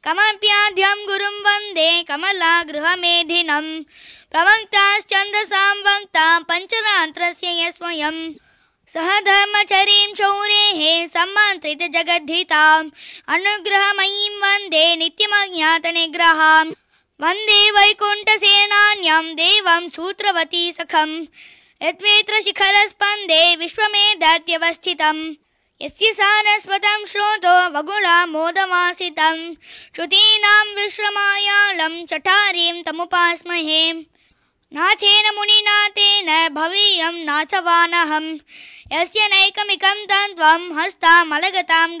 कमप्याद्यं गुरुं वन्दे कमलागृहमेधिनम् प्रवक्ताश्चन्दसां वक्ता पञ्चरात्रस्य यस्वयं सह धर्मचरीं शौरेः सम्मन्त्रित जगद्धिताम् अनुग्रहमयीं वन्दे नित्यमज्ञातनिग्रहाम् वन्दे वैकुण्ठसेनान्यं देवं सूत्रवती सखम् यद्वेत्र शिखरस्पन्दे विश्वमेधत्यवस्थितम् यस्य सारस्वतं श्रोतो वगुलामोदवासितं श्रुतीनां विश्रमायालं चठारीं तमुपास्महे नाथेन मुनिनाथेन भवेयं नाथवानहं यस्य नैकमिकं तत्त्वं हस्तामलगतां गतम्